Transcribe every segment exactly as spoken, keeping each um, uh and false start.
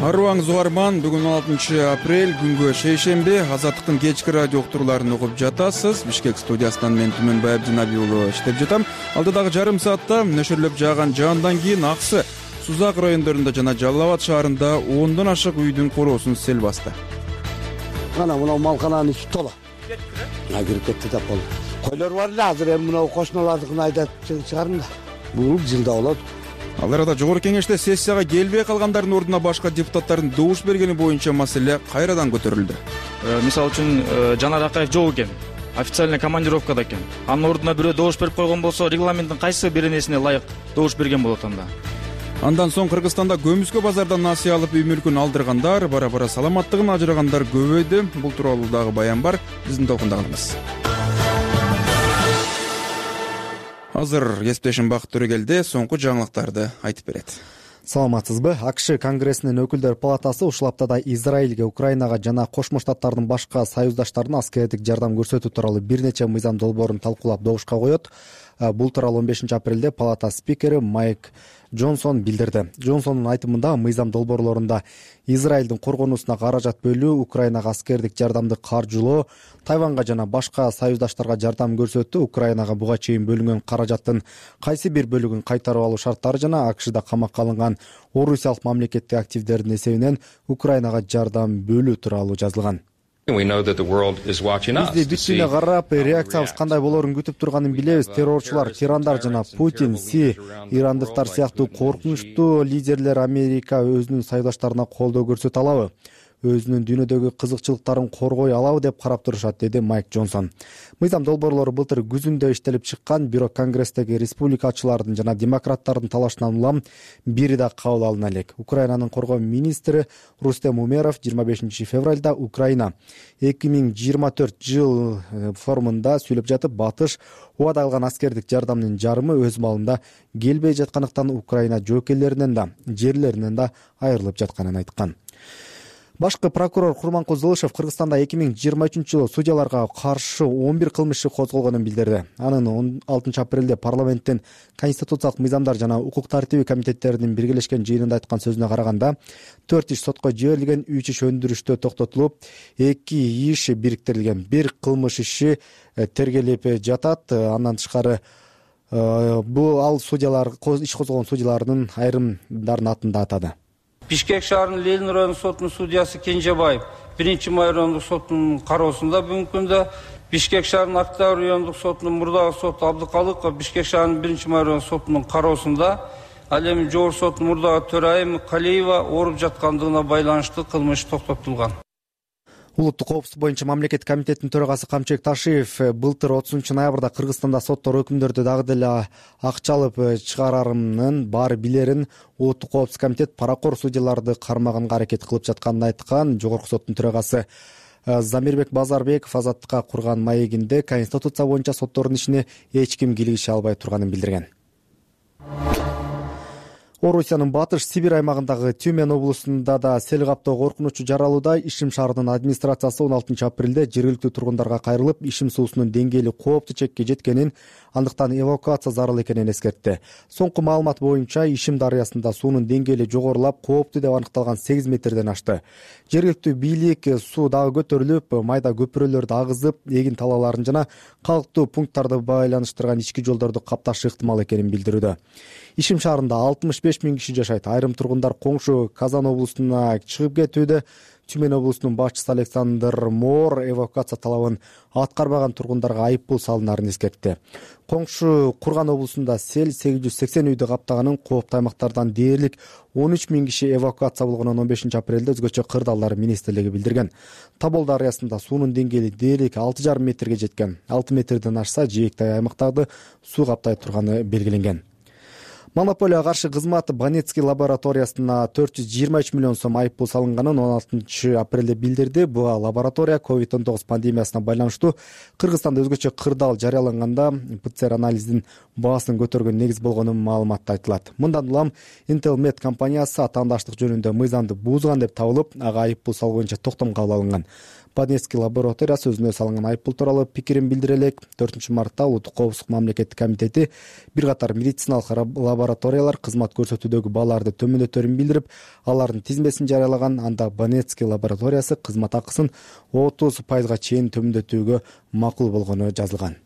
Арыбаңыз угарман, бүгүн он алтынчы апрель, күнгө шейшемби. Азаттыктын кечки радио уктурууларын угуп жатасыз. Бишкек студиясынан мен Түмөнбай Абдинаби уулу иштеп жатам. Алдыдагы жарым саатта нөшөрлөп жааган жаандан кийин Аксы, Сузак райондорунда жана Жалал Абад шаарында ондон ашык үйдүн короосун сел басты. Мына мына малкананын ичи тола. А кирип кетти да болду. Койлор бар эле, азыр эми мына кошуналардыкын айдап чыгардым да. Бул жылда болот. Ал арада жогорку кеңеште сессияга келбей калгандардын ордуна башка депутаттардын добуш бергени боюнча маселе кайрадан көтөрүлдү. Мисалы үчүн Жанар Акаев жок экен, официальный командировкада экен. Анын ордуна бирөө добуш берип койгон болсо, регламенттин кайсы бир нерсине ылайык добуш берген болот анда. Андан соң Кыргызстанда көмүскө базардан насыя алып үй мүлкүн алдыргандар, бара-бара саламаттыгын ажырагандар көбөйдү. Бул тууралуу дагы баян бар. Биздин толкунда калыңыз. Азыр кесиптешим Бакыт Төрөгелди соңку жаңылыктарды айтып берет. Саламатсызбы? АКШ Конгрессинин өкүлдөр палатасы ушул аптада Израилге, Украинага жана Кошмо Штаттардын башка союздаштарына аскердик жардам көрсөтүү тууралуу бир нече мыйзам долбоорун талкуулап добушка коет. Бул тууралуу он бешинчи апрелде палата спикери Майк Джонсон билдирди. Джонсондун айтымында мыйзам долбоорлорунда Израилдин коргонуусуна каражат бөлүү, Украинага аскердик жардамды каржылоо, Тайванга жана башка союздаштарга жардам көрсөтүү, Украинага буга чейин бөлүнгөн каражаттын кайсы бир бөлүгүн кайтарып алуу шарттары жана АКШда камакка алынган орусиялык мамлекеттик активдердин эсебинен Украинага жардам бөлүү тууралуу жазылган. Бизди бүт дүйнө карап, реакциябыз кандай болоорун күтүп турганын билебиз. Террорчулар, тирандар жана Путин, Си, ирандыктар сыяктуу коркунучтуу лидерлер Америка өзүнүн союздаштарына колдоо көрсөтө алабы? Өзүнүн дүйнөдөгү кызыкчылыктарын коргой алабы деп карап турушат, деди Майк Джонсон. Мыйзам долбоорлору былтыр күзүндө иштелип чыккан, бирок Конгресстеги республикачылардын жана демократтардын талашынан улам бири да кабыл алына элек. Украинанын коргоо министри Рустем Умеров жыйырма бешинчи февралда Украина эки миң жыйырма төрт жыл форумунда сүйлөп жатып, батыш убада кылган аскердик жардамдын жарымы өз маалында келбей жаткандыктан Украина жоокейлеринен да, жерлеринен да айрылып жатканын айткан. Башкы прокурор Курманкул Зылышев Кыргызстанда эки миң жыйырма үчүнчү жылы судьяларга каршы он бир кылмыш иши козголгонун билдирди. Анын он алтынчы апрелде парламенттин конституциялык мыйзамдар жана укук тартиби комитеттеринин биргелешкен жыйынында айткан сөзүнө караганда, төрт иш сотко жиберилген, үч иш өндүрүштө токтотулуп, эки иш бириктирилген, бир кылмыш иши тергелип жатат. Андан тышкары бул ал судьялар, иш козголгон судьялардын айрымдардын атын да атады. Бишкек шаарынын Ленин райондук сотунун судьясы Кенжебаев биринчи май райондук сотунун кароосунда бүгүнкү күндө, Бишкек шаарынын Октябрь райондук сотунун мурдагы соты Абдыкалыков Бишкек шаарынын биринчи май райондук сотунун кароосунда, ал эми жогорку соттун мурдагы төрайымы Калиева ооруп жаткандыгына байланыштуу кылмыш токтотулган. Улуттук коопсуздук боюнча мамлекеттик комитеттин төрагасы Камчек Ташиев былтыр отузунчу ноябрда Кыргызстанда соттор өкүмдөрдү дагы деле акча алып чыгарарымын баары билерин Улуттук коопсуздук комитет паракор судьяларды кармаганга аракет кылып жатканын айткан. Жогорку соттун төрагасы Замирбек Базарбеков Азаттыкка курган маегинде Конституция боюнча соттордун ишине эч ким кийлигише албай турганын билдирген. Орусиянын батыш Сибирь аймагындагы Тюмень облусунда да сел каптоо коркунучу жаралууда. Ишим шаарынын администрациясы он алтынчы апрелде жергиликтүү тургундарга кайрылып, ишим суусунун деңгээли кооптуу чекке жеткенин, андыктан эвакуация зарыл экенин эскертти. Соңку маалымат боюнча Ишим дарыясында суунун деңгээли жогорулап, кооптуу деп аныкталган сегиз метрден ашты. Жергиликтүү бийлик суу дагы көтөрүлүп, майда көпүрөлөрдү агызып, эгин талааларын жана калктуу пункттарды байланыштырган ички жолдорду капташы ыктымал экенин билдирүүдө. Ишим шаарында алтымыш беш миң киши жашайт. Айрым тургундар коңшу Казан облусуна чыгып кетүүдө. Тюмень облусунун башчысы Александр Моор эвакуация талабын аткарбаган тургундарга айып пул салынарын эскертти. Коңшу Курган облусунда сел сегиз жүз сексен үйдү каптаганын, кооптуу аймактардан дээрлик он үч миң киши эвакуация болгонун он бешинчи апрелде өзгөчө кырдаалдар министрлиги билдирген. Тобол дарыясында суунун деңгээли дээрлик алты жарым метрге жеткен. алты метрден ашса, жээктай аймактарды суу каптай турганы белгиленген. Монополияга каршы кызмат Банецкий лабораториясына төрт жүз жыйырма үч миллион сом айып пул салынганын он алтынчы апрелде билдирди. Бул лаборатория ковид он тогуз пандемиясына байланыштуу Кыргызстанда өзгөчө кырдаал жарыяланганда ПЦР анализдин баасын көтөргөн негиз болгонун маалыматта айтылат. Мындан улам Intelmed компаниясы атаандаштык жөнүндө мыйзамды буузган деп табылып, ага айып пул салуу боюнча токтом кабыл алынган. Банецкий лабораториясы өзүнө салынган айыппул тууралуу пикирин билдире элек. төртүнчү мартта Улуттук коопсуздук мамлекеттик комитети бир катар медициналык лабораториялар кызмат көрсөтүүдөгү бааларды төмөндөтөрүн билдирип, алардын тизмесин жарыялаган. Анда Банецкий лабораториясы кызмат акысын отуз пайызга чейин төмөндөтүүгө макул болгону жазылган.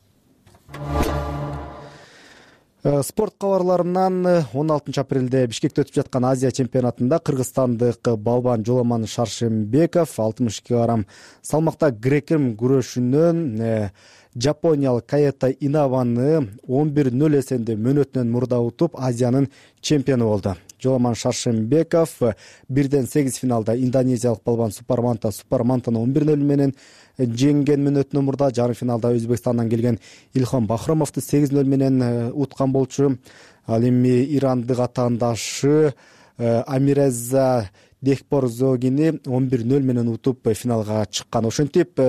Спорт кабарларынан он алтынчы апрелде Бишкекте өтүп жаткан Азия чемпионатында кыргызстандык балбан Жоламан Шаршембеков алтымыш килограмм салмакта грек-рим күрөшүнөн жапониялык Каэта Инаваны он бир нөл эсенде мөөнөтүнөн мурда утуп Азиянын чемпиону болду. Жоламан Шаршембеков бирден сегиз финалда индонезиялык балбан Супарманта Супармантаны он бир нөл менен жеңген мөөнөтүнөн мурда, жарым финалда Өзбекстандан келген Илхом Бахромовду сегиз нөл менен уткан болчу. Ал эми ирандык атаандашы Амиреза Дехпорзогини он бир нөл менен утуп финалга чыккан. Ошентип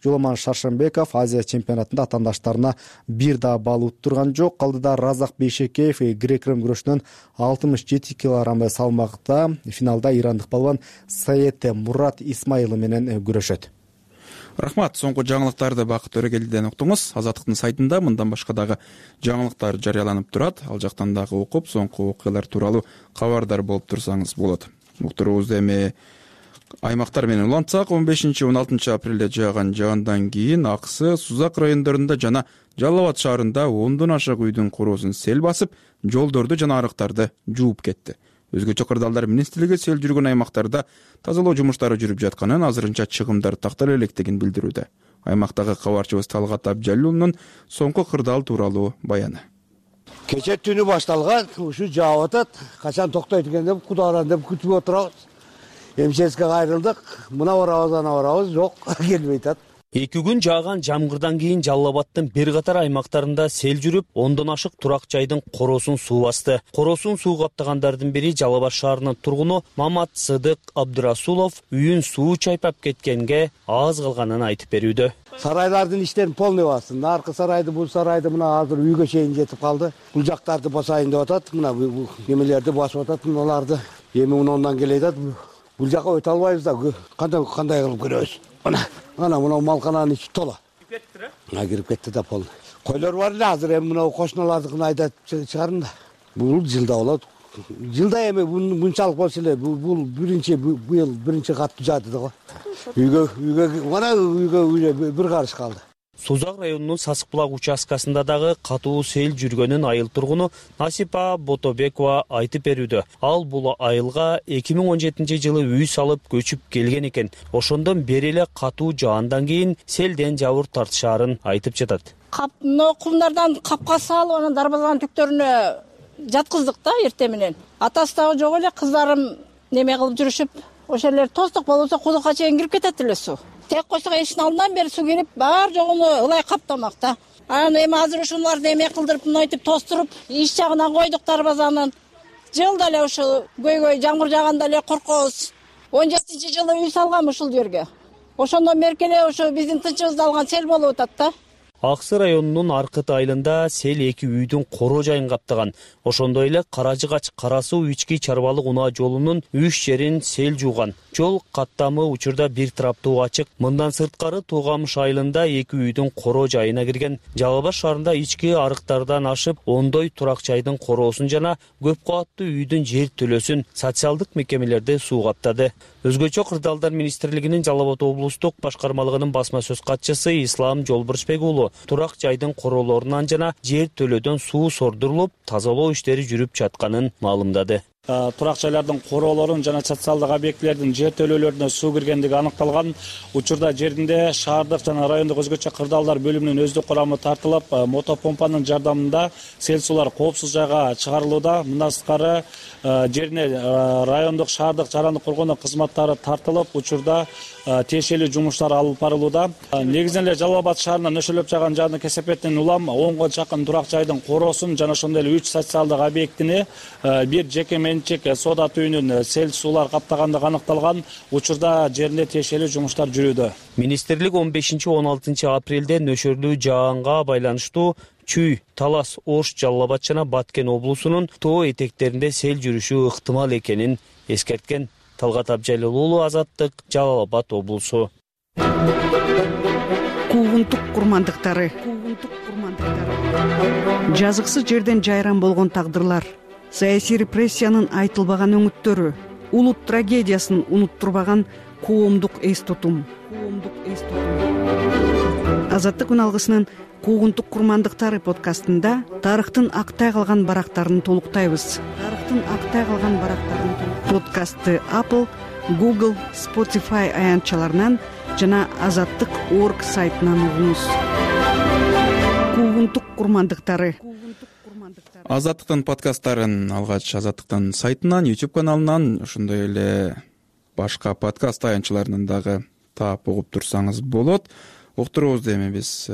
Жоламан Шаршембеков Азия чемпионатында атаандаштарына бир да балл уттурган жок. Калдыда Разак Бейшекеев грек-рим күрөшүнөн алтымыш жети килограмм салмакта финалда ирандык балбан Саете Мурат Исмаилы менен күрөшөт. Рахмат. Соңку жаңылыктарды Бакыт Өрөгелдиден уктуңуз. Азаттыктын сайтында мындан башка дагы жаңылыктар жарыяланып турат. Ал жактан дагы окуп, соңку окуялар тууралуу кабардар болуп турсаңыз болот. Уктуруубузду эми аймактар менен улантсак, он бешинчи он алтынчы апрелде жааган жагандан кийин Аксы, Сузак райондорунда жана Жалал Абад шаарында ондон ашык үйдүн короосун сел басып, жолдорду жана арыктарды жууп кетти. Өзгөчө кырдаалдар министрлиги сел жүргөн аймактарда тазалоо жумуштары жүрүп жатканын, азырынча чыгымдар тактала электигин билдирүүдө. Аймактагы кабарчыбыз Талгат Абжалуулунун соңку кырдаал тууралуу баяны. Кече түнү башталган, ушу жаап атат. Качан токтойт экен деп, Кудайдан деп күтүп отурабыз. Эмческе кайрылдык. Мына барабыз, ана барабыз, жок, келбей атат. Эки күн жааган жамгырдан кийин Жалал Абадтын бир катар аймактарында сел жүрүп, ондон ашык турак жайдын короосун суу басты. Короосун суу каптагандардын бири Жалал Абад шаарынын тургуну Мамат Сыдык Абдырасулов үйүн суу чайпап кеткенге аз калганын айтып берүүдө. Сарайлардын иштерин полный басты. Аркы сарайды, бул сарайды мына азыр үйгө чейин жетип калды. Бул жактарды басайын деп атат. Мына бул немелерди басып атат, мыналарды. Эми мындан келет атат. Бул жака өтө албайбыз да, кандай кандай кылып көрөбүз. Мына, ана мына малкананын ичи тола. Кирип кетти да? А, кирип кетти да полный. Койлор бар эле, азыр эми мына кошуналардыкын айдап чыгарын да. Бул жылда болот. Жылда эми мынчалык болсо эле, бул биринчи быйыл биринчи катты жаады да го. Үйгө үйгө мына үйгө бир карыш калды. Сузак районунун Сасык булак участкасында дагы катуу сел жүргөнүн айыл тургуну Насипа Ботобекова айтып берүүдө. Ал бул айылга эки миң он жетинчи жылы үй салып көчүп келген экен. Ошондон бери эле катуу жаандан кийин селден жабыр тартышаарын айтып жатат. Капно кумдардан капка салып, анан дарбазанын түктөрүнө жаткыздык да эртең менен. Атасы дагы жок эле, кыздарым неме кылып жүрүшүп, ошолер тоздук болсо кудукка чейин кирип кетет эле суу. Тек койсок эшиктин алдынан бери суу кирип, бар жогуну ылай каптамак да. Анан эми азыр ушуларды эме кылдырып, мынтип тостуруп, иш жагынан койдук дарбазанын. Жылда эле ушул көйгөй жамгыр жааганда эле коркобуз. он жетинчи жылы үй салгам ушул жерге. Ошондон бери эле ошо биздин тынчыбызды алган сел болуп атат да. Аксы районунун Аркыт айылында сел эки үйдүн коро жайын каптаган. Ошондой эле Каражыгач Кара суу ички чарбалык унаа жолунун үч жерин сел жууган. Жол каттамы учурда бир тараптуу ачык. Мындан сырткары Туугамыш айылында эки үйдүн коро жайына кирген. Жалал Абад шаарында ички арыктардан ашып, ондой турак жайдын короосун жана көп кабаттуу үйдүн жер төлөсүн социалдык мекемелерде суу каптады. Өзгөчө кырдаалдар министрлигинин Жалал Абад облустук башкармалыгынын басма сөз катчысы Ислам Жолбурчбек уулу турак жайдын короолорунан жана жер төлөөдөн суу сордурулуп, тазалоо иштери жүрүп жатканын маалымдады. Турак жайлардын короолорун жана социалдык объектилердин жер төлөөлөрүнө суу киргендиги аныкталган. Учурда жеринде шаардык жана райондук өзгөчө кырдаалдар бөлүмүнүн өздүк курамы тартылып, мотопомпанын жардамында сел суулар коопсуз жайга чыгарылууда. Мындан сырткары жерине райондук, шаардык жарандык коргонуу кызматтары тартылып, учурда тиешелүү жумуштар алып барылууда. Негизинен эле Жалал Абад шаарынан нөшөлөп жааган жааны кесепеттен улам онго жакын турак жайдын короосун жана ошондой эле үч социалдык объектини бир жеке менчик соода түйүнүн сел суулар каптагандыгы аныкталган. Учурда жеринде тиешелүү жумуштар жүрүүдө. Министрлик он бешинчи он алтынчы апрелде нөшөрлүү жаанга байланыштуу Чүй, Талас, Ош, Жалал Абад жана Баткен облусунун тоо этектеринде сел жүрүшү ыктымал экенин эскерткен. Талгат Абжалил уулу, Азаттык, Жалал Абад облусу. Куугунтук курмандыктары. Куугунтук курмандыктары. Жазыксыз жерден жайран болгон тагдырлар, саясий репрессиянын айтылбаган өңүттөрү, улут трагедиясын унуттурбаган коомдук эс тутум. Коомдук эс тутум. Азаттык күн алгысынын Куугунтук курмандыктары подкастында тарыхтын актай калган барактарын толуктайбыз. Тарыхтын актай калган барактарын подкастты Apple, Google, Spotify аянтчаларынан жана азаттык точка орг сайтынан угуңуз. Куугунтук курмандыктары. Азаттыктын подкасттарын алгач Азаттыктын сайтынан, YouTube каналынан, ошондой эле башка подкаст аянтчаларынан дагы таап угуп турсаңыз болот. Уктуруубузду эми биз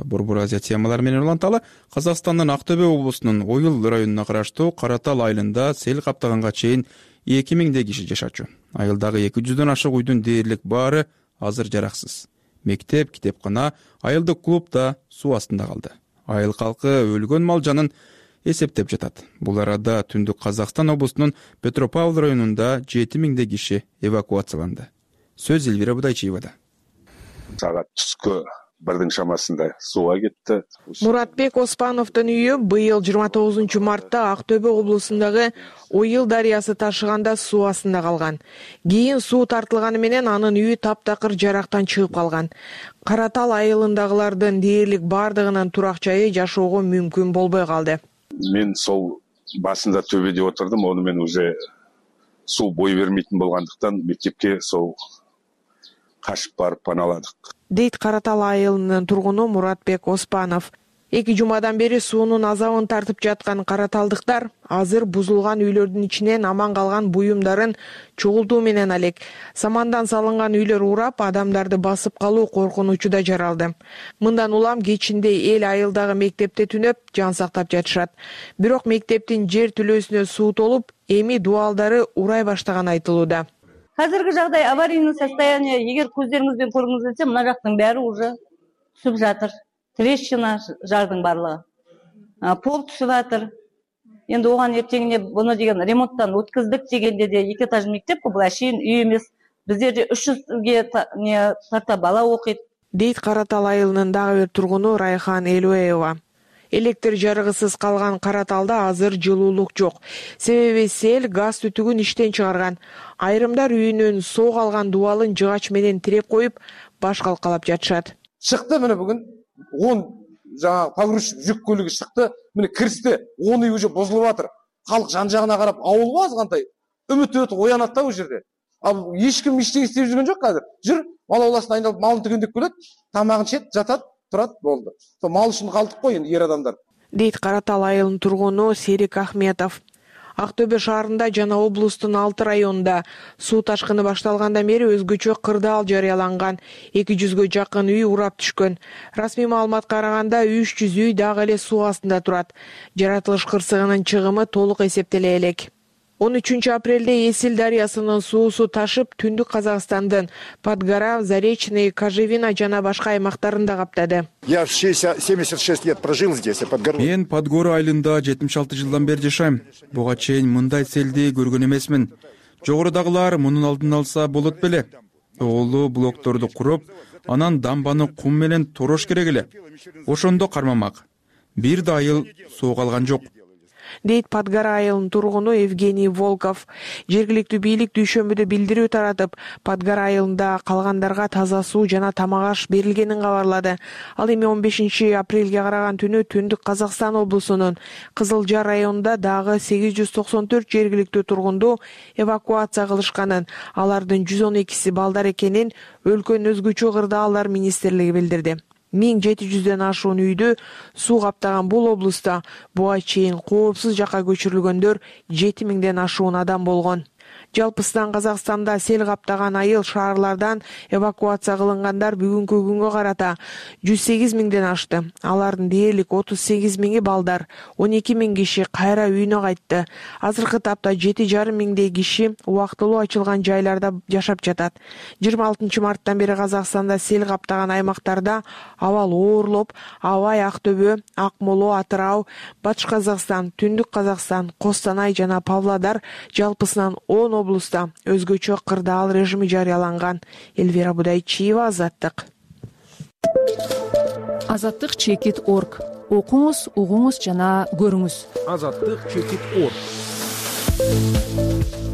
Борбор Азия темалары менен уланталы. Казакстандын Ак Төбө облусунун Ойыл районуна караштуу Каратал айылында сел каптаганга чейин эки миңдей киши жашачу. Айылдагы эки жүздөн ашык үйдүн дээрлик баары азыр жараксыз. Мектеп, китепкана, айылдык клуб да суу астында калды. Айыл калкы өлгөн мал жанын эсептеп жатат. Бул арада Түндүк Казакстан облусунун Петропавл районунда жети миңдей киши эвакуацияланды. Сөз Элвира Будайчиевада. Саат түскө бирдин шамасында сууга кетти. Муратбек Оспановдун үйү быйыл жыйырма тогузунчу мартта Ак Төбө облусундагы Ойыл дарыясы ташыганда суу астында калган. Кийин суу тартылганы менен анын үйү таптакыр жарактан чыгып калган. Каратал айылындагылардын дээрлик бардыгынын турак жайы жашоого мүмкүн болбой калды. Мен сол басында төбөдө отурдум, ону мен уже суу бой бермейтин болгондуктан мектепке сол кашып барып паналадык, дейт Каратал айылынын тургуну Муратбек Оспанов. Эки жумадан бери суунун азабын тартып жаткан караталдыктар азыр бузулган үйлөрдүн ичинен аман калган буюмдарын чогултуу менен алек. Самандан салынган үйлөр урап, адамдарды басып калуу коркунучу да жаралды. Мындан улам кечинде эл айылдагы мектепте түнөп, жан сактап жатышат. Бирок мектептин жер түлөөсүнө суу толуп, эми дубалдары урай баштаганы айтылууда. Қазіргі жағдай аварийный состояние, егер көздеріңізбен көргіңіз келсе, мына жақтың бәрі уже түсіп жатыр. Трещина жардың барлығы. Пол түсіп жатыр. Енді оған ертеңіне бұны деген ремонттан өткіздік дегенде де екі этаж мектеп қой, бұл әшейін үй емес. Біздерде үш жүзге тарта бала оқиды. Дейт Каратал айылынын дагы бир тургуну Райхан Элуеева. Электр жарыгысыз калган Караталда азыр жылуулук жок. Себеби сел газ түтүгүн иштен чыгарган. Айрымдар үйүнүн соо алган дубалын жыгач менен тиреп коюп, баш калкалап жатышат. Чыкты мына бүгүн он жаңа погрузчик жүк көлүгү чыкты. Мына кирсти, он үй уже бузулуп атыр. Калк жан жагына карап ауылга азгандай үмүт өтүп оянат да бул жерде. Ал эч ким иштеп истеп жүргөн жок азыр. Жүр, мал ауласына айналып малын түгөндөп келет, тамагын чет, жатат. Турат болду. Сол мал үчүн калдык кой энди ер адамдар. Дейт Каратал айылынын тургуну Серик Ахметов. Ак Төбө шаарында жана облустун алты районунда суу ташкыны башталгандан бери өзгөчө кырдаал жарыяланган. эки жүзгө жакын үй урап түшкөн. Расмий маалыматка караганда үч жүз үй дагы эле суу астында турат. Жаратылыш кырсыгынын чыгымы толук эсептеле элек. он үчүнчү апрелде Эсил дарыясынын суусу ташып, Түндүк Казакстандын Подгора, Заречный, Кожевина жана башка аймактарында каптады. Я семьдесят шесть лет прожил здесь, Подгора. Мен Подгора айылында жетимиш алты жылдан бери жашайм. Буга чейин мындай селди көргөн эмесмин. Жогорудагылар мунун алдын алса болот беле. Оолу блокторду куруп, анан дамбаны кум менен торош керек эле. Ошондо кармамак. Бир да айыл суу калган жок. Дейт Подгора айылынын тургуну Евгений Волков. Жергиликтүү бийлик дүйшөмбүдө билдирүү таратып, Подгора айылында калгандарга таза суу жана тамак аш берилгенин кабарлады. Ал эми он бешинчи апрелге караган түнү Түндүк Казакстан облусунун Кызыл Жар районунда дагы сегиз жүз токсон төрт жергиликтүү тургунду эвакуация кылышканын, алардын жүз он экиси балдар экенин өлкөнүн өзгөчө кырдаалдар министрлиги билдирди. миң жети жүздөн ашуун үйдү суу каптаган бул облуста буга чейин коопсуз жакка көчүрүлгөндөр жети миңден ашуун адам болгон. Жалпысынан Казакстанда сел каптаган айыл шаарлардан эвакуация кылынгандар бүгүнкү күнгө карата жүз сегиз миңден ашты. Алардын дээрлик отуз сегиз миңи балдар, он эки миң киши кайра үйүнө кайтты. Азыркы тапта жети жарым миңдей киши убактылуу ачылган жайларда жашап жатат. жыйырма алтынчы марттан бери Казакстанда сел каптаган аймактарда абал оорлоп, Абай, Ак Төбө, Акмоло, Атырау, Батыш Казакстан, Түндүк Казакстан, Костанай жана Павлодар жалпысынан он облуста өзгөчө кырдаал режими жарыяланган. Элвира Будайчиева, Азаттык. Азаттык чекит точка орг. Окуңуз, угуңуз жана көрүңүз. Азаттык чекит точка орг.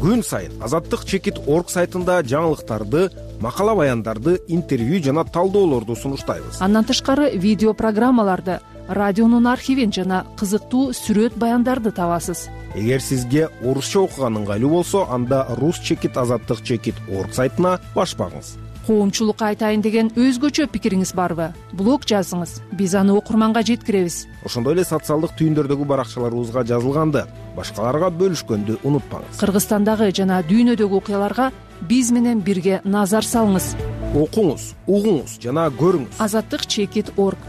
Күн сайын Азаттык чекит точка орг сайтында жаңылыктарды, макала баяндарды, интервью жана талдоолорду сунуштайбыз. Андан тышкары видео программаларды, радионун архивин жана кызыктуу сүрөт баяндарды табасыз. Эгер сизге орусча окуган ыңгайлуу болсо, анда рус чекит азаттык чекит точка орг сайтына башпаңыз. Коомчулукка айтайын деген өзгөчө пикириңиз барбы? Блог жазыңыз, биз аны окурманга жеткиребиз. Ошондой эле социалдык түйүндөрдөгү баракчаларыбызга жазылганды, башкаларга бөлүшкөндү унутпаңыз. Кыргызстандагы жана дүйнөдөгү окуяларга биз менен бирге назар салыңыз. Окуңуз, угуңуз жана көрүңүз. Азаттык чекит точка орг.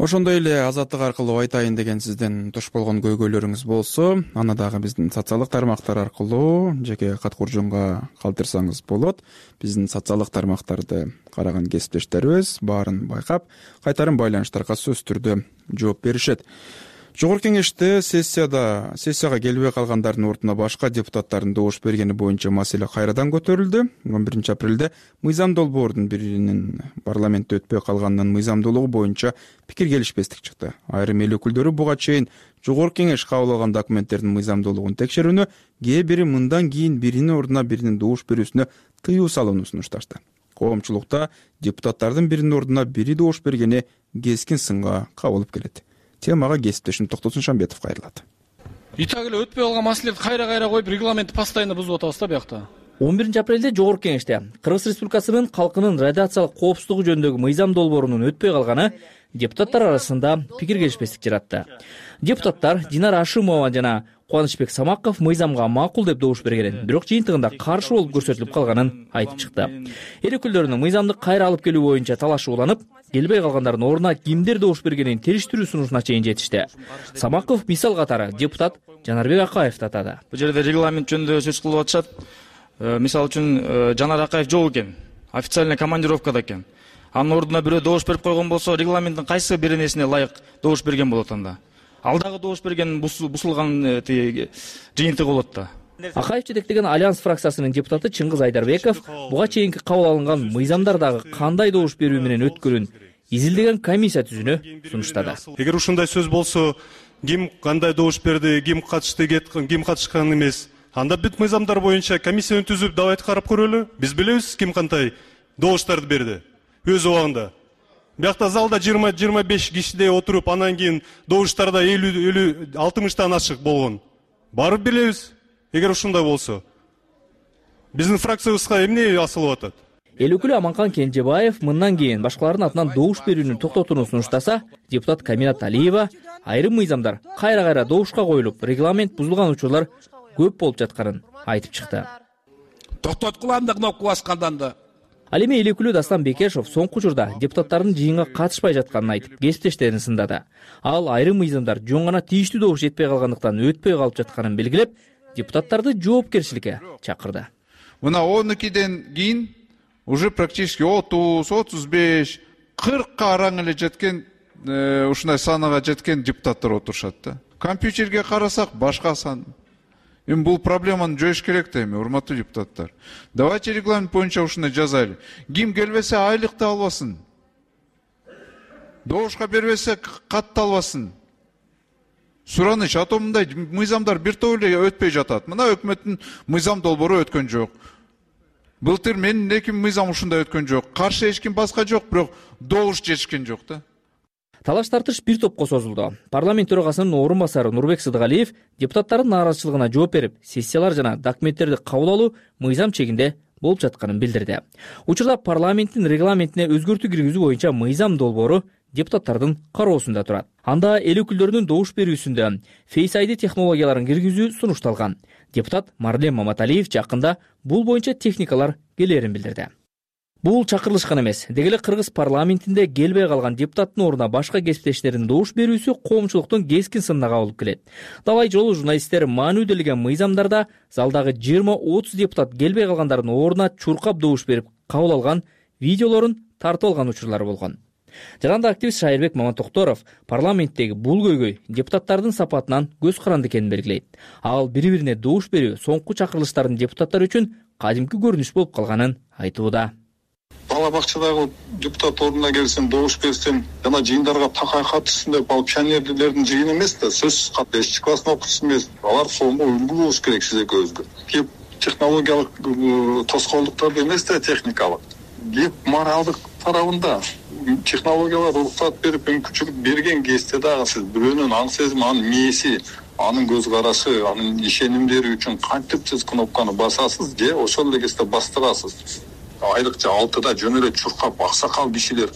Ошондой эле азаттык аркылуу айтайын деген сиздин туш болгон көйгөйлөрүңүз болсо, аны дагы биздин социалдык тармактар аркылуу жеке кат куржунга калтырсаңыз болот. Биздин социалдык тармактарды караган кесиптештерибиз баарын байкап, кайтарым байланыштарга сөзсүз түрдө жооп беришет. Жогорку кеңеште сессияда сессияга келбей калгандардын ордуна башка депутаттардын добуш бергени боюнча маселе кайрадан көтөрүлдү. он биринчи апрелде мыйзам долбоордун биринин парламентте өтпөй калганынын мыйзамдуулугу боюнча пикир келишпестик чыкты. Айрым эл өкүлдөрү буга чейин жогорку кеңеш кабыл алган документтердин мыйзамдуулугун текшерүүнү, кээ бири мындан кийин биринин ордуна биринин добуш берүүсүнө тыюу салууну сунушташты. Коомчулукта депутаттардын биринин ордуна бири добуш бергени кескин сынга кабылып келет. Темага кесиптешим Токтосун Шамбетов кайрылат. Итак эле өтпөй калган маселелерди кайра-кайра коюп, регламентти постоянно бузуп атабыз да биякта. он биринчи апрелде Жогорку кеңеште Кыргыз Республикасынын калкынын радиациялык коопсуздугу жөнүндөгү мыйзам долбоорунун өтпөй калганы депутаттар арасында пикир келишпестик жаратты. Депутаттар Динара Ашимова жана Кубанычбек Самаков мыйзамга макул деп добуш бергенин, бирок жыйынтыгында каршы болуп көрсөтүлүп калганын айтып чыкты. Эл өкүлдөрүнүн мыйзамды кайра алып келүү боюнча талашы уланып, келбей калгандардын ордуна кимдер добуш бергенин териштирүү сунушуна чейин жетишти. Самаков мисал катары депутат Жанарбек Акаевди атады. Бул жерде регламент жөнүндө сөз кылып атышат. Мисалы үчүн Жанар Акаев жок экен, официальный командировкада экен. Анын ордуна бирөө добуш берип койгон болсо, регламенттин кайсы бир нерсине ылайык добуш берген болот анда? Ал дагы добуш берген бусулган жыйынтыгы болот да. Акаев жетектеген Альянс фракциясынын депутаты Чыңгыз Айдарбеков буга чейинки кабыл алынган мыйзамдардагы кандай добуш берүү менен өткөнүн изилдеген комиссия түзүүнү сунуштады. Эгер ушундай сөз болсо, ким кандай добуш берди, ким катышты, ким катышкан эмес, анда бүт мыйзамдар боюнча комиссияны түзүп давайте карап көрөлү. Биз билебиз ким кандай добуштарды берди өз убагында. Биякта залда жыйырма жыйырма беш кишидей отуруп, анан кийин добуштарда элүү элүү алтымыштан ашык болгон. Барып билебиз. Эгер ушундай болсо, биздин фракциябызга эмне асылып атат? Эл өкүлү Аманкан Кенжебаев мындан кийин башкалардын атынан добуш берүүнү токтотууну сунуштаса, депутат Каминат Алиева айрым мыйзамдар кайра-кайра добушка коюлуп, регламент бузулган учурлар көп болуп жатканын айтып чыкты. Токтоткула кнопка баскандан да. Ал эми эл өкүлү Дастан Бекешов соңку учурда депутаттардын жыйынга катышпай жатканын айтып, кесиптештерин сындады. Ал айрым мыйзамдар жөн гана тийиштүү добуш жетпей калгандыктан өтпөй калып жатканын белгилеп, депутаттарды жоопкерчиликке чакырды. Мына он экиден кийин уже практически отуз, отуз беш, кыркка араң эле жеткен, ушундай санага жеткен депутаттар отурушат да. Компьютерге карасак башка сан. Эми бул проблеманы жоюш керек да эми, урматтуу депутаттар. Давайте регламент боюнча ушундай жазайлы. Ким келбесе айлыкты албасын. Добушка бербесе катты албасын. Сураныч, а то мындай мыйзамдар бир топ эле өтпөй жатат. Мына өкмөттүн мыйзам долбоору өткөн жок. Былтыр менин эки мыйзам ушундай өткөн жок. Каршы эч ким баска жок, бирок добуш жетишкен жок да. Талаш тартыш бир топко созулду. Парламент төрагасынын орун басары Нурбек Сыдыгалиев депутаттардын нааразычылыгына жооп берип, сессиялар жана документтерди кабыл алуу мыйзам чегинде болуп жатканын билдирди. Учурда парламенттин регламентине өзгөртүү киргизүү боюнча мыйзам долбоору депутаттардын кароосунда турат. Анда эл өкүлдөрүнүн добуш берүүсүндө Face ай ди технологияларын киргизүү сунушталган. Депутат Марлен Маматалиев жакында бул боюнча техникалар келерин билдирди. Бул чакырылышкан эмес. Дегеле Кыргыз парламентинде келбей калган депутаттын ордуна башка кесиптештердин добуш берүүсү коомчулуктун кескин сынына кабылып келет. Далай жолу журналисттер маанүделеген мыйзамдарда залдагы жыйырма отуз депутат келбей калгандардын ордуна чуркап добуш берип кабыл алган видеолорун тартып алган учурлар болгон. Жана да активист Шайырбек Маматокторов парламенттеги бул көйгөй депутаттардын сапатынан көз каранды экенин белгилейт. Ал бири-бирине добуш берүү соңку чакырылыштардын депутаттар үчүн кадимки көрүнүш болуп калганын айтууда. Бала бакчадагы депутат ордуна келсем, добуш берсем, жана жыйындарга такай катышсын деп ал пионерлердин жыйыны эмес да, сөзсүз кат бешинчи класстын окуучусу эмес. Алар сонго үлгү болуш керек сиз экөөбүзгө. Кеп технологиялык тоскоолдуктарды эмес да, техникалык. Кеп моралдык тарабында технологиялар уруксат берип, мүмкүнчүлүк берген кезде дагы сиз бирөөнүн аң сезими, анын мээси, анын көз карашы, анын ишенимдери үчүн кантип сиз кнопканы басасыз же ошол эле кезде бастырасыз. Айрыкча алтыда жөн эле чуркап аксакал кишилер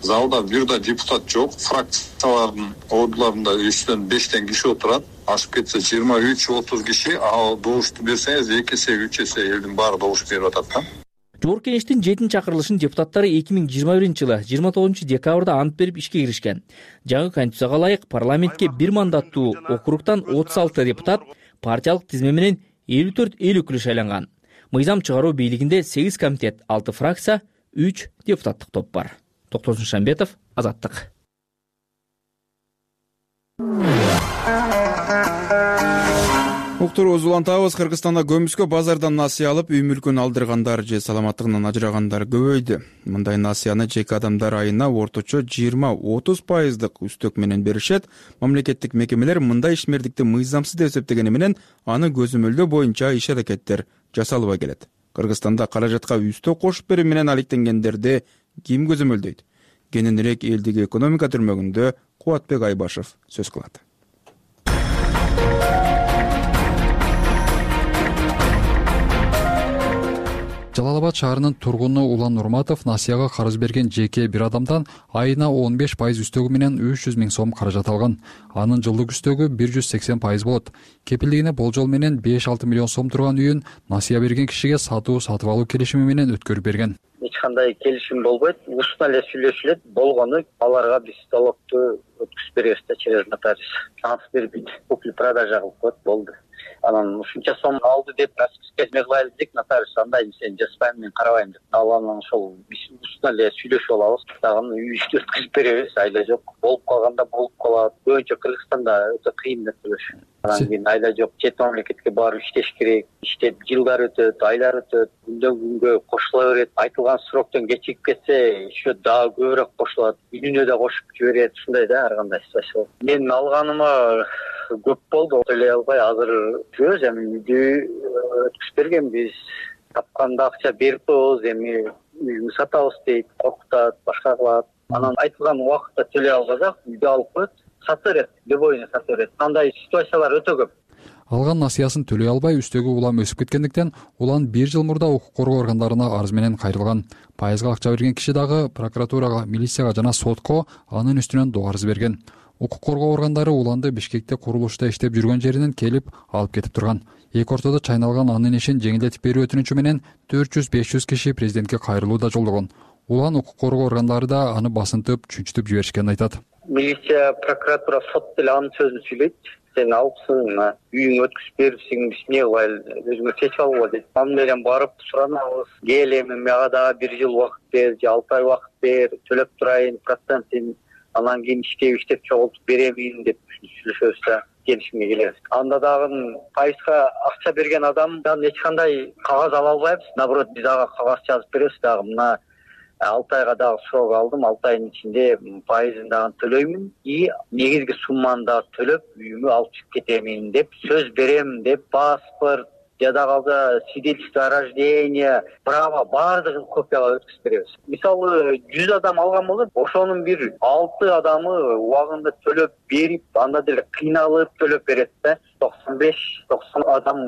залда бир да депутат жок, фракциялардын ордуларында үчтөн бештен киши отурат, ашып кетсе жыйырма үч отуз киши, ал добушту берсеңиз эки эсе үч эсе элдин баары добуш берип атат да. Жогорку Кеңештин жетинчи чакырылышын депутаттары эки миң жыйырма биринчи жылы жыйырма тогузунчу декабрда ант берип ишке киришкен. Жаңы конституцияга ылайык парламентке бир мандаттуу округтан отуз алты депутат, партиялык тизме менен элүү төрт эл өкүлү шайланган. Мыйзам чыгаруу бийлигинде сегиз комитет, алты фракция, үч депутаттык топ бар. Токтосун Шамбетов, Азаттык. Уктурубузду улантабыз. Кыргызстанда көмүскө базардан насыя алып, үй мүлкүн алдыргандар же саламаттыгынан ажырагандар көбөйдү. Мындай насыяны жеке адамдар айына орточо жыйырма отуз пайыздык үстөк менен беришет. Мамлекеттик мекемелер мындай ишмердикти мыйзамсыз деп эсептегени менен аны көзөмөлдөө боюнча иш аракеттер жасалбай келет. Кыргызстанда каражатка үстөк кошуп берүү менен алектенгендерди ким көзөмөлдөйт? Кененирээк элдиги экономика түрмөгүндө Кубатбек Айбашев сөз кылат. Жалал Абад шаарынын тургуну Улан Нурматов насыяга карыз берген жеке бир адамдан айына он беш пайыз үстөгү менен үч жүз миң сом каражат алган. Анын жылдык үстөгү бир жүз сексен пайыз болот. Кепилдигине болжол менен беш алты миллион сом турган үйүн насыя берген кишиге сатуу сатып алуу келишими менен өткөрүп берген. Эч кандай келишим болбойт, устно эле сүйлөшүлөт. Болгону аларга биз залогду өткүзүп беребиз да через нотариус. Шанс бербейт. Купли продажа кылып коет, болду. Анан ушунча сом алды деп расписка кылайлы дедик, нотариус андай сен жаспайм, мен карабайм деп. Ал анан ошол биз устно эле сүйлөшүп алабыз. Дагы үйдү өткүзүп беребиз, айла жок. Болуп калганда болуп калат. Көбүнчө Кыргызстанда өтө кыйын нерселер. Анан кийин айла жок, чет мамлекетке барып иштеш керек. Иштеп жылдар өтөт, айлар өтөт, күндөн күнгө кошула берет. Айтылган сроктон кечигип кетсе, еще дагы көбүрөөк кошулат. Үйүнө да кошуп жиберет. Ушундай да ар кандай ситуация. Мен алганыма көп болду, төлөй албай азыр жүрөбүз. Эми үйдү өткүзүп бергенбиз. Тапканда акча берип коебуз, эми үйүңдү сатабыз дейт, коркутат, башка кылат. Анан айтылган убакытта төлөй албасак, үйдү алып коет, сата берет, любойуна сата берет. Андай ситуациялар өтө көп. Алган насыясын төлөй албай үстөгү улам өсүп кеткендиктен улан бир жыл мурда укук коргоо органдарына арыз менен кайрылган. Пайызга акча берген киши дагы прокуратурага, милицияга жана сотко анын үстүнөн доо арыз берген. Укук коргоо органдары уланды Бишкекте курулушта иштеп жүргөн жеринен келип алып кетип турган. Эки ортодо чайналган анын ишин жеңилдетип берүү өтүнүчү менен төрт жүз беш жүз киши президентке кайрылуу да жолдогон. Улан укук коргоо органдары да аны басынтып, чүнчүтүп жиберишкенин айтат. Милиция, прокуратура, сот деле анын сөзүн сүйлөйт. Сен алыпсың, үйүңө өткүзүп берипсиң, биз эмне кылайлы, өзүңөр чечип алгыла дейт. Ал менен барып суранабыз. Кел эми мага дагы бир жыл убакыт бер, же алты ай убакыт бер, төлөп турайын процентин, анан кийин иштеп иштеп чогултуп беремин деп сүйлөшөбүз да келишимге келебиз. Анда дагы пайызга акча берген адамдан эч кандай кагаз ала албайбыз. Наоборот, биз ага кагаз жазып беребиз дагы. Мына алты айга дагы срок алдым, алты айдын ичинде пайызын дагы төлөймүн и негизги сумманы дагы төлөп үйүмө алып чыгып кетемин деп сөз берем деп паспорт, жада калса свидетельство о рождении, право баардыгын копиялап өткүзүп беребиз. Мисалы жүз адам алган болот, ошонун бир алты адамы убагында төлөп берип, анда деле кыйналып төлөп берет да. токсон беш токсон адам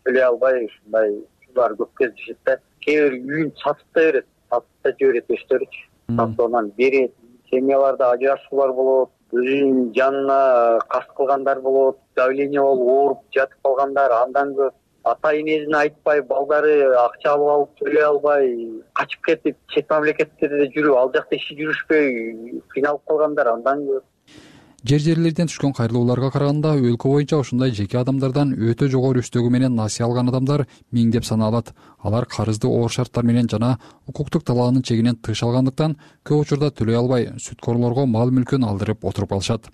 төлөй албай ушундай ушулар көп кездешет да. Кээ бир үйүн сатып да берет. Сатып жиберет өздөрүчү. Сатуудан берет. Семьяларда ажырашуулар болот, өзүнүн жанына каст кылгандар болот, давление болуп ооруп жатып калгандар андан көп. Ата энесине айтпай, балдары акча алып алып төлөй албай, качып кетип, чет мамлекеттерде жүрүп, ал жакта иши жүрүшпөй, кыйналып калгандар андан көп. жер жерлерден түшкөн кайрылууларга караганда өлкө боюнча ушундай жеке адамдардан өтө жогору үстөгү менен насыя алган адамдар миңдеп саналат. Алар карызды оор шарттар менен жана укуктук талаанын чегинен тыш алгандыктан көп учурда төлөй албай сүткорлорго мал мүлкүн алдырып отуруп калышат.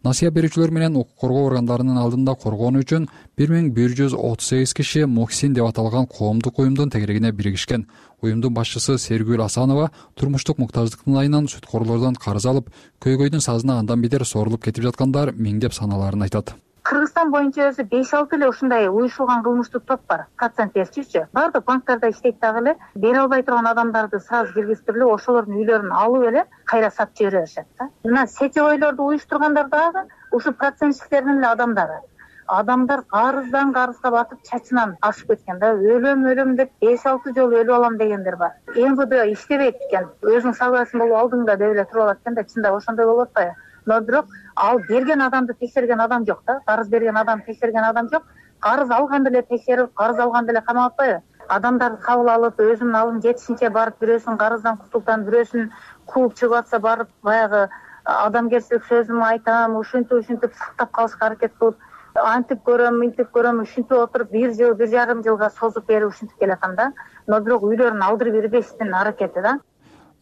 Насыя берүүчүлөр менен укук коргоо органдарынын алдында коргоону үчүн бир миң бир жүз отуз сегиз киши Мухсин деп аталган коомдук уюмдун тегерегине биригишкен. Уюмдун башчысы Сергүл Асанова турмуштук муктаждыктын айынан сүткорлордон карыз алып, көйгөйдүн сазына андан бетер сорулуп кетип жаткандар миңдеп саналарын айтат. Кыргызстан боюнча өзү беш алты эле ушундай уюшулган кылмыштык топ бар. Процент берчүчү. Баардык банктарда иштейт дагы эле. Бере албай турган адамдарды сразу киргизип эле ошолордун үйлөрүн алып эле кайра сатып жибере беришет да. Мына сетевойлорду уюштургандар дагы ушу процентчиктердин эле адамдары. Адамдар карыздан карызга батып чачынан ашып кеткен да. Өлөм өлөм деп беш алты жолу өлүп алам дегендер бар. эм вэ дэ иштебейт экен. Өзүң согласен болуп алдыңда деп эле туруп алат экен да. Чындап ошондой болуп атпайбы? Но бирок ал берген адамды текшерген адам жок да. Карыз берген адам текшерген адам жок. Карыз алганды эле текшерип, карыз алганды эле камап атпайбы? Адамдарды кабыл алып, өзүнүн алын жетишинче барып, бирөөсүн карыздан кутултан, бирөөсүн кууп чыгып атса барып, баягы адамгерчилик сөзүм айтам, ушинтип ушинтип сактап калышка аракет кылып, антип көрөм, мынтип көрөм, ушинтип отуруп бир жыл, бир жарым жылга созуп берип ушинтип келатам да. Но бирок үйлөрүн алдырып бербештин аракети да.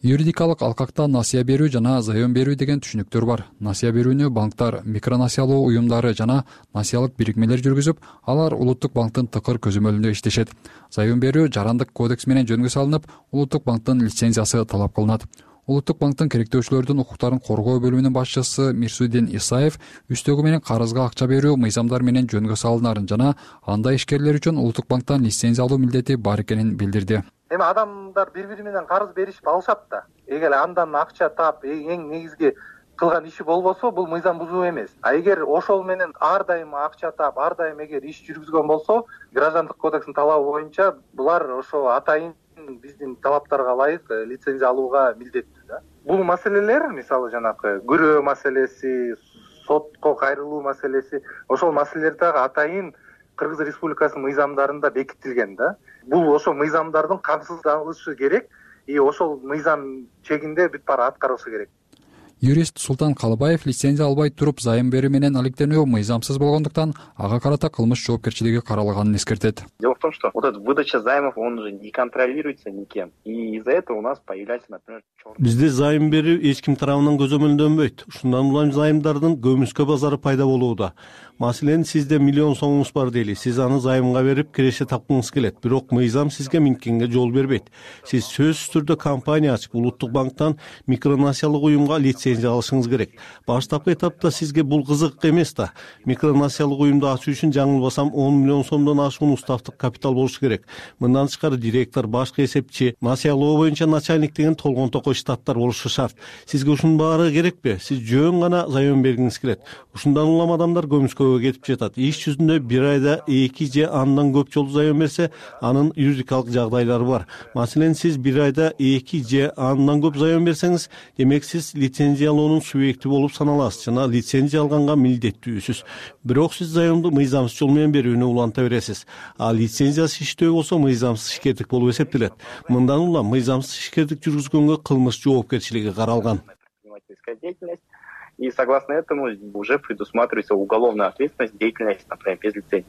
Юридикалык алкакта насыя берүү жана заем берүү деген түшүнүктөр бар. Насыя берүүнү банктар, микронасыялоо уюмдары жана насыялык бирикмелер жүргүзүп, алар улуттук банктын тыкыр көзөмөлүндө иштешет. Заем берүү жарандык кодекс менен жөнгө салынып, улуттук банктын лицензиясы талап кылынат. Улуттук банктын керектөөчүлөрдүн укуктарын коргоо бөлүмүнүн башчысы Мирсудин Исаев үстөгү менен карызга акча берүү мыйзамдар менен жөнгө салынарын жана андай ишкерлер үчүн улуттук банктан лицензия алуу милдети бар экенин билдирди. Эми адамдар бири-бири менен карыз беришип алышат да. Эгер андан акча таап, эң негизги кылган иши болбосо, бул мыйзам бузуу эмес. А эгер ошол менен ар дайым акча таап, ар дайым эгер иш жүргүзгөн болсо, граждандык кодекстин талабы боюнча булар ошо атайын биздин талаптарга ылайык лицензия алууга милдеттүү да. Бул маселелер, мисалы жанакы күрөө маселеси, сотко кайрылуу маселеси, ошол маселелер дагы атайын Кыргыз Республикасынын мыйзамдарында бекитилген да. Бул ошо мыйзамдардын камсыздалышы керек, и ошол мыйзам чегинде бүт баары аткарылышы керек. Юрист Султан Калыбаев лицензия албай туруп заем берүү менен алектенүү мыйзамсыз болгондуктан ага карата кылмыш жоопкерчилиги каралганын эскертет. Дело в том, что вот эта выдача займов, он уже не контролируется никем. И из-за этого у нас появляется, например, черный... Бизде зайым берүү эч ким тарабынан көзөмөлдөнбөйт. Ушундан улам зайымдардын көмүскө базары пайда болууда. Маселен, сизде миллион сомуңуз бар дейли. Сиз аны займга берип киреше тапкыңыз келет. Бирок мыйзам сизге минткенге жол бербейт. Сиз сөзсүз түрдө компания ачып, улуттук банктан микронасыялык уюмга лицензия алышыңыз керек. Баштапкы этапта сизге бул кызык эмес да. Микронасыялык уюмду ачуу үчүн жаңылбасам он миллион сомдон ашуун уставдык капитал болуш керек. Мындан тышкары директор, башкы эсепчи, насыялоо боюнча начальник деген толгон токой штаттар болушу шарт. Сизге ушунун баары керекпи? Сиз жөн гана заем бергиңиз келет. Ушундан улам адамдар көмүскөгө кетип жатат. Иш жүзүндө бир айда эки же андан көп жолу заем берсе, анын юридикалык жагдайлары бар. Маселен, сиз бир айда эки же андан көп заем берсеңиз, демек сиз лицензиялоонун субъекти болуп саналасыз жана лицензия алганга милдеттүүсүз. Бирок сиз заемду мыйзамсыз жол менен берүүнү уланта бересиз. А лицензиясыз иштөө болсо мыйзамсыз ишкердик болуп эсептелет. Мындан улам мыйзамсыз ишкердик жүргүзгөнгө кылмыш жоопкерчилиги каралган. И согласно этому уже предусматривается уголовная ответственность деятельности, например, без лицензии.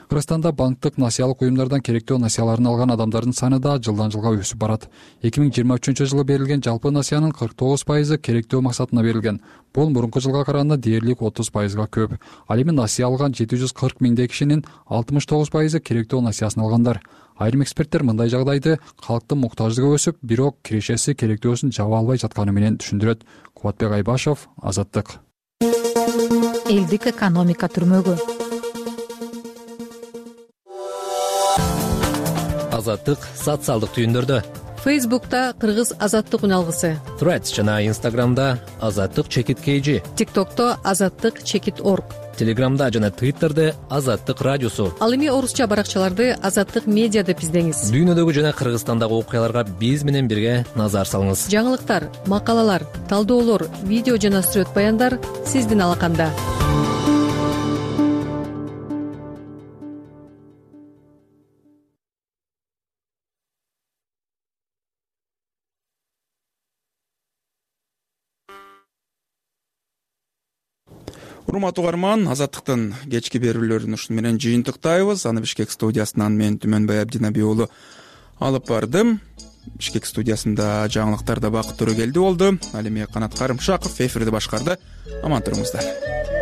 Кыргызстанда банктык насыялык уюмдардан керектөө насыяларын алган адамдардын саны да жылдан жылга өсүп барат. эки миң жыйырма үчүнчү жылы берилген жалпы насыянын кырк тогуз пайызы керектөө максатына берилген. Бул мурунку жылга караганда дээрлик отуз пайызга көп. Ал эми насыя алган жети жүз кырк миңдей кишинин алтымыш тогуз пайызы керектөө насыясын алгандар. Айрым эксперттер мындай жагдайды калктын муктаждыгы өсүп, бирок кирешеси керектөөсүн жаба албай жатканы менен түшүндүрөт. Кубатбек Айбашев, Азаттык. Элдик экономика түрмөгү. Азаттык социалдык түйүндөрдө. Фейсбукта Кыргыз Азаттык үналгысы. Threads жана Инстаграмда Азаттык чекит kg. ТикТокто Азаттык чекит орг. Телеграмда жана Твиттерде Азаттык радиосу. Ал эми орусча баракчаларды Азаттык медиа деп издеңиз. Дүйнөдөгү жана Кыргызстандагы окуяларга биз менен бирге назар салыңыз. Жаңылыктар, макалалар, талдоолор, видео жана сүрөт баяндар сиздин алаканда. урматтуу угарман, Азаттыктын кечки берүүлөрүн ушуну менен жыйынтыктайбыз. Аны Бишкек студиясынан мен Түмөнбай Абдинаби уулу алып бардым. Бишкек студиясында жаңылыктарда Бакыт Төрөгелди болду. Ал эми Канат Карымшаков эфирди башкарды. Аман туруңуздар.